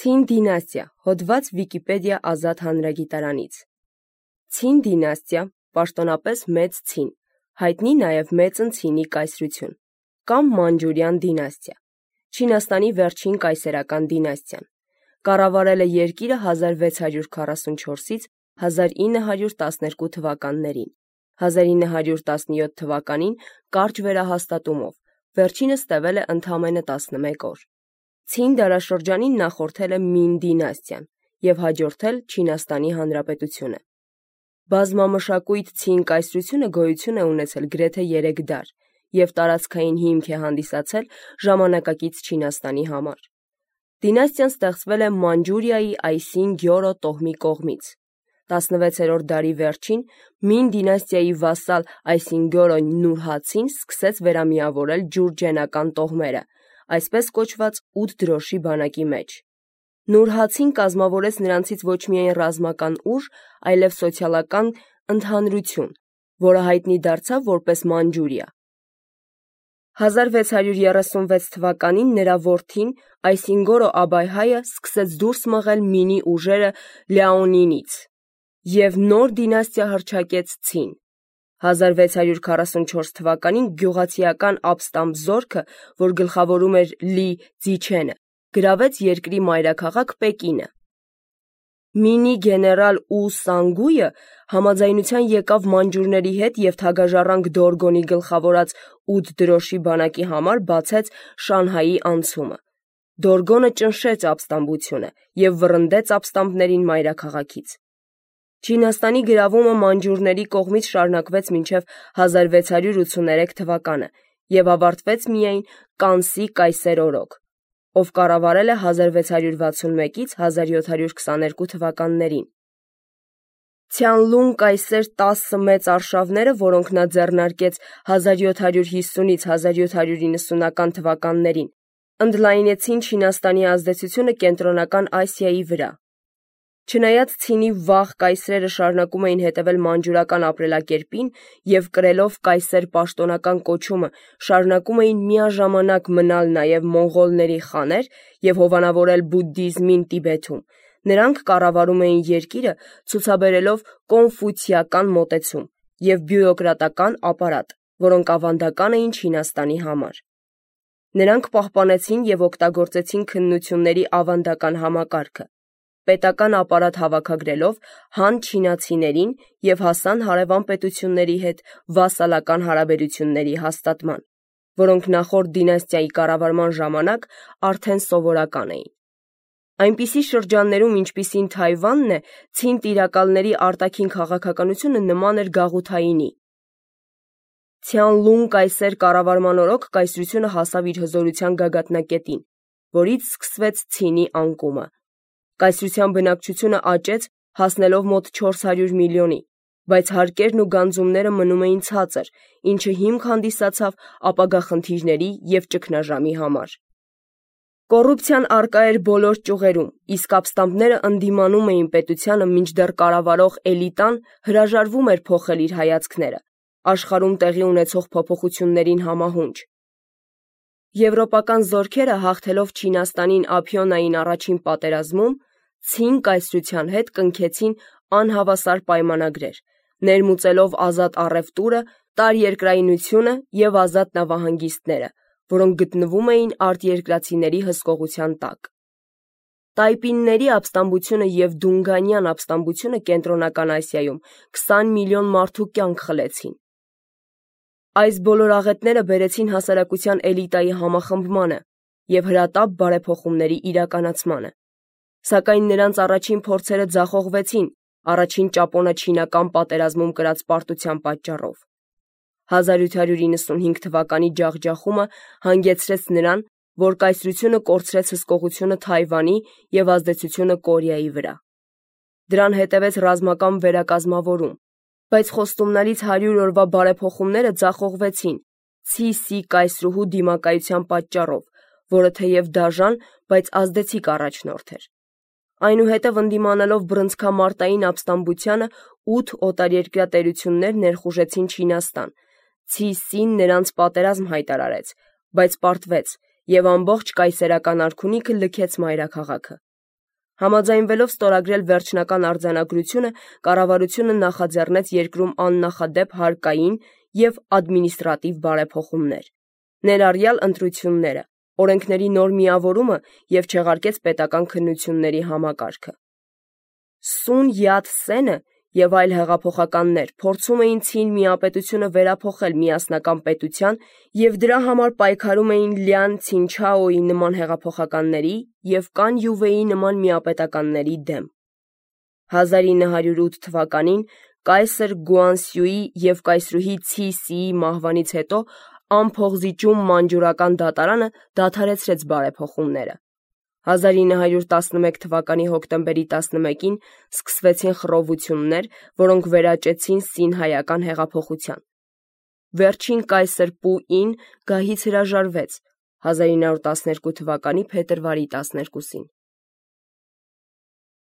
Ցին դինաստիա, հոդված Վիկիպեդիա ազատ հանրագիտարանից։ Ցին դինաստիա, պաշտոնապես մեծ ցին, հայտնի նաև մեծն ցինի կայսրություն, կամ մանջուրյան դինաստիա, Չինաստանի վերջին կայսերական դինաստիան, կառավարել է երկիրը 1644-ից 1912 թվականներին, 1917 թվականին կարճ վերահաստատումով, վերջինս տևել է ընդամենը 11 օր։ Ցին դարաշրջանին նախորդել է Մին դինաստիան և հաջորդել Չինաստանի Հանրապետությունը։ Բազմամշակույթ ցին կայսրությունը գոյություն է ունեցել գրեթե 3 դար և տարածքային հիմք է հանդիսացել ժամանակակից Չինաստանի համար։ Դինաստիան ստեղծվել է Մանջուրիայի Այսին Գյորո տոհմի կողմից։ 16-րդ դարի վերջին Մին դինաստիայի վասալ Այսինգյորո Նուրհացին սկսեց վերամիավորել ջուրջենական տոհմերը, այսպես կոչված 8 դրոշի բանակի մեջ։ Նուրհացին կազմավորեց նրանցից ոչ միայն ռազմական ուժ, այլև սոցիալական ընդհանրություն, որը հայտնի դարձավ որպես Մանջուրիա։ 1636 թվականին նրա որդին Այսինգորո Աբայհայը սկսեց դուրս մղել Մինի ուժերը Լիաոնինից և նոր դինաստիա հռչակեց Ցին։ 1644 թվականին գյուղացիական ապստամբ զորքը, որ գլխավորում էր Լի Ձիչենը, գրավեց երկրի մայրաքաղաք Պեկինը։ Մինի գեներալ Ու Սանգույը համաձայնության եկավ մանջուրների հետ և թագաժառանգ Դորգոնի գլխավորած 8 դրոշի բանակի համար բացեց Շանհայի անցումը։ Դորգոնը ճնշեց ապստամբությունը և վռնդեց ապստամբներին մայրաքաղաքից։ Չինաստանի գրավումը մանջուրների կողմից շարունակվեց մինչև 1683 թվականը և ավարտվեց միայն Կանսի կայսեր օրոք, ով կառավարել է 1661-ից 1722 թվականներին։ Ցյանլուն կայսեր 10 մեծ արշավները, որոնք նա ձեռնարկեց 1750-ից 1790-ական թվականներին, ընդլայնեցին Չինաստանի ազդեցությունը Կենտրոնական Ասիայի վրա։ Չնայած Ցինի վաղ կայսրերը շարունակում էին հետևել մանջուրական ապրելակերպին և կրելով կայսեր պաշտոնական կոչումը շարունակում էին միաժամանակ մնալ նաև մոնղոլների խաներ և հովանավորել բուդդիզմին Տիբեթում, նրանք կառավարում էին երկիրը ցուցաբերելով կոնֆուցիական մոտեցում և բյուրոկրատական ապարատ, որոնք ավանդական էին Չինաստանի համար։ Նրանք պահպանեցին և օգտագործեցին քննությունների ավանդական համակարգը, պետական ապարատ հավաքագրելով Han չինացիներին և հասան հարևան պետությունների հետ վասալական հարաբերությունների հաստատման, որոնք նախորդ դինաստիայի կառավարման ժամանակ արդեն սովորական էին։ Այնպիսի շրջաններում, ինչպիսին Թայվանն է, ցին տիրակալների արտաքին քաղաքականությունը նման էր գաղութայինի։ Ցյանլուն կայսեր կառավարման օրոք կայսրությունը հասավ իր հզորության գագաթնակետին, որից սկսվեց Ցինի անկումը։ Կայսրության բնակչությունը աճեց, հասնելով մոտ 400 միլիոնի, բայց հարկերն ու գանձումները մնում էին ցածր, ինչը հիմք հանդիսացավ ապագա խնդիրների և ճգնաժամի համար։ Կոռուպցիան առկա էր բոլոր ճյուղերում, իսկ ապստամբները ընդդիմանում էին պետությանը, մինչդեռ կառավարող էլիտան հրաժարվում էր փոխել իր հայացքները, աշխարհում տեղի ունեցող փոփոխություններին համահունչ։ Եվրոպական զորքերը հաղթելով Չինաստանին Ափիոնային առաջին պատերազմում, Ցին կայսրության հետ կնքեցին անհավասար պայմանագրեր, ներմուծելով ազատ առևտուրը, տարերկրայնությունը և ազատ նավահանգիստները, որոնք գտնվում էին արտերկրացիների հսկողության տակ։ Տայպինների ապստամբությունը և Դունգանյան ապստամբությունը Կենտրոնական Ասիայում 20 միլիոն մարդու կյանք խլեցին։ Այս բոլոր աղետները բերեցին հասարակության էլիտայի համախմբմանը և հրատապ բարեփոխումների իրականացմանը։ Սակայն նրանց առաջին փորձերը ձախողվեցին առաջին ճապոնա-չինական պատերազմում կրած պարտության պատճառով։ 1895 թվականի ջախջախումը հանգեցրեց նրան, որ կայսրությունը կորցրեց հսկողությունը Թայվանի և ազդեցությունը Կորեայի վրա։ Դրան հետևեց ռազմական վերակազմավորում, բայց խոստումնալից 100 օրվա բարեփոխումները ձախողվեցին Ցիսի կայսրուհու դիմակայության պատճառով, որը թեև դաժան, բայց ազդեցիկ առաջնորդ էր։ Այնուհետև ընդդիմանալով բռնցքամարտային ապստամբությանը 8 օտարերկրյա տերություններ ներխուժեցին Չինաստան։ Ցիսին նրանց պատերազմ հայտարարեց, բայց պարտվեց և ամբողջ կայսերական արքունիքը լքեց մայրաքաղաքը։ Համաձայնվելով ստորագրել վերջնական արձանագրությունը, կառավարությունը նախաձեռնեց երկրում աննախադեպ հարկային և ադմինիստրատիվ բարեփոխումներ, ներառյալ ընտրությունները, օրենքների նոր միավորումը և չեղարկեց պետական քննությունների համակարգը։ Սուն Յաթ Սենը և այլ հեղափոխականներ փորձում էին ցին միապետությունը վերափոխել միասնական պետության և դրա համար պայքարում էին Լյան Ցինչաոյի նման հեղափոխականների և Կան Յուվեի նման միապետականների դեմ։ 1908 թվականին կայսր Գուանսյուի և կայսրուհի Ցի Սիի մահվանից հետո անփողզիջում մանջուրական դատարանը դադարեցրեց բարեփոխումները։ 1911 թվականի հոկտեմբերի 11-ին սկսվեցին խռովություններ, որոնք վերաճեցին սինհայական հեղափոխության։ Վերջին կայսր Պուին գահից հրաժարվեց 1912 թվականի փետրվարի 12-ին։